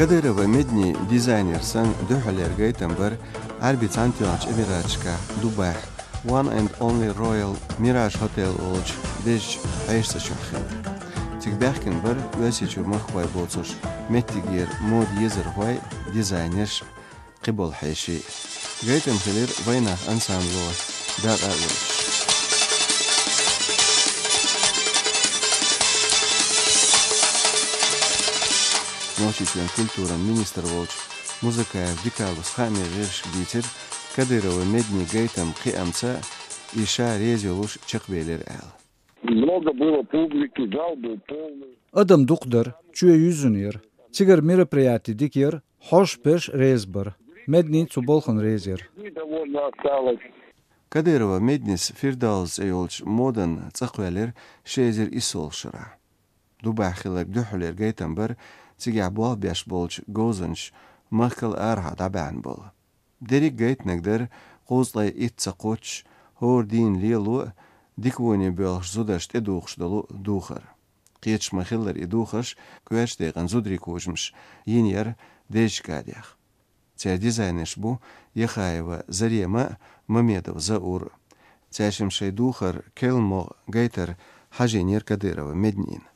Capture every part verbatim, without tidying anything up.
Кадырова Медни дизайнер санна дуьххьарлера гайтам бар Ӏарбийн Цхьаьнатоьхначу Эмираташкахь Дубайхь One and Only Royal Mirage Hotel олучу дезачу хьешан цӀа чохь хилла. Цига баьхкина бара Оьрсийчуьра махкахой боцуш меттигера мода езархой, дизайнерш, кхиболу хьеший. Гайтам хилира «Вайнах» ансамбло дакъа а лоцуш. Нохчийчоьнан культуран министр волчу Музыкаев Дикалус хаамийн гӀирсашка дийцира, Кадырова Медни гайтам кхиамца и ша реза йолуш чекхбелира аьлла. Много было публики, зал был полный. Адам дукха дара, чоь юьззина яра. Цигара мероприяти дика яра, хьош-перш реза бара. Медни цу балхана реза яра. Довольно осталось. Кадырова Меднис Фирдауз цӀе йолчу модан цӀа кхоьллира ши эзар иссолгӀачу шарахь. Дубайхь хилларг дуьххьарлера гайтам бара цигахь болх беш болчу говзанчаша махкал арахьа дӀабаьхьна болу. Дерриг гайтинарг дара кхузткъе итт ца кхоччуш, хӀора дийна лело а, дика воне боьлхуш зударшна тӀедухуш долу духар. Кхеташ ма-хиллара, и духарш коьртачу декъана зударийн кучамаш йина яра дезачу гадех. Церан дизайнерш бу Яхаева Зарема а, Мамедов Заур а. Цаьршимма шайн духар керла могӀа гайтар хьажийнера Кадырова Меднина.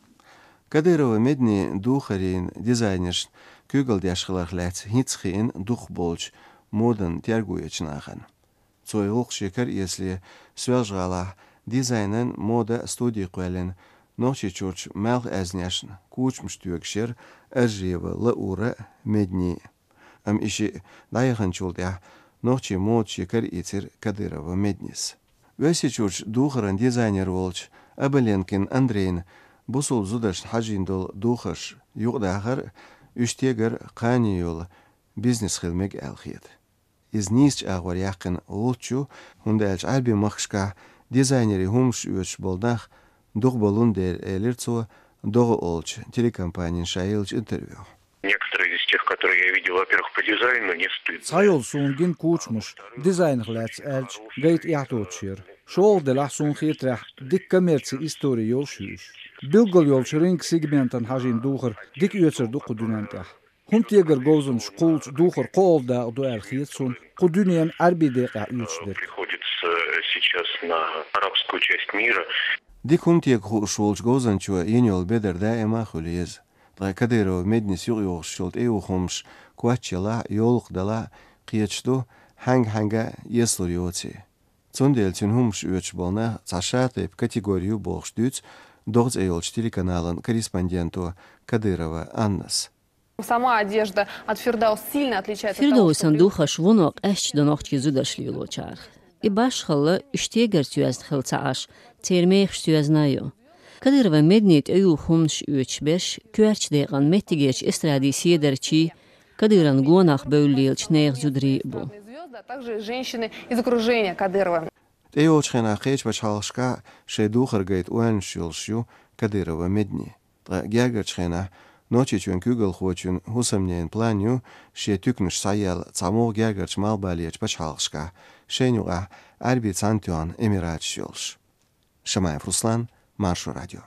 Кадырова Медни духарийн дизайнершна куьйгалла деш хиларх лаьцна хӀинцца хиъна дукхахболчу модан терго ечу нахана. Цо и гӀуллакх шен кара эцале, Соьлжа-ГӀалахь дизайнан мода студи кхоьллина, Нохчийчуьрчу малхбузершна кучамаш тоьгуш яра Аржиева Лаура а, Медни а. Амма и шиъ дӀаяханчул тӀаьхьа нохчийн мода шен кара ийцира Кадырова Меднис. Оьрсийчуьрчу духаран дизайнер волчу Абаленкин Андрейна бусулба зударшна хьажийна долу духарш юкъадахар а, уьш тегар а кхане йолу бизнес хила мега аьлла хета. Иза нийсачу агӀор яьккхина гӀулч ю, хӀунда аьлча Ӏаьрбийн махкашкахь дизайнерийн хӀуманаш оьцуш болу нах дукха болун дела, элира цо «ДогӀа» олучу телекомпанина ша еллачу интервьюхь. Некоторые из тех, которые я видел, во-первых, по дизайну, не стыдно. Цхьайолу суна гина кучамаш дизайнах лаьцна аьлча, гайта эхь доцуш яра. ШолгӀа делахь, суна хетарехь, дика коммерцин истори йолуш ю уьш. Билггал йолчу рынкан сегментана хьажийна духар дика оьцур ду кху дуьнен тӀехь. ХӀума тегар говзанчаш кхуллучу духар кхоалгӀа дакъа ду аьлла хета суна, кху дуьненан Ӏаьрбийн декъехь оьцуш дерг. Приходится сейчас на арабскую часть мира. Дика хӀума тега хууш волчу говзанчо йина йолу бедар даима а хуьлу еза. Ткъа Кадырова Меднис юкъайохуш йолу тӀеюху хӀуманаш коч ялахь а, йовлакх далахь а, кхеташ ду, хьаьнга-хьаьнга эцалур йоций. Цундела цуьнан хӀуманаш оьцуш болу нах цхьа шатайпа категори ю бохуш дуьйцу «ДогӀа» цӀе йолчу телеканалан корреспонденто Кадырова Аннас. Сама одежда от Фирдаус сильно отличается от того, что... Фирдаусан духарш вуно къаьсташ ду нохчийн зударша лелочарах. И башхалла, уьш тегарца йоьзна хилла ца Ӏаш, церан мехашца йоьзна а ю. Кадырова Медни тӀеюху хӀуманаш оьцуш берш коьртачу декъана меттигерчу эстрадин седарчий, Кадыровн гонах бевлла лелачу нехан зударий а бу. Также женщины из окружения Кадырова. ТӀейолчу хенахь кхечу пачхьалкхашкахь шайн духар гайта ойланаш йолуш ю Кадырова Медни. Ткъа гергарчу хенахь Нохчийчоьнан куьйгалхочун хӀусамненан план ю шен туьканаш схьаелла цхьа могӀа гергарчу малхбалерчу пачхьалкхашкахь, шайна юкъахь Ӏаьрбийн Цхьаьнатоьхна Эмираташ йолуш. Шамаев Руслан, Маршо радио.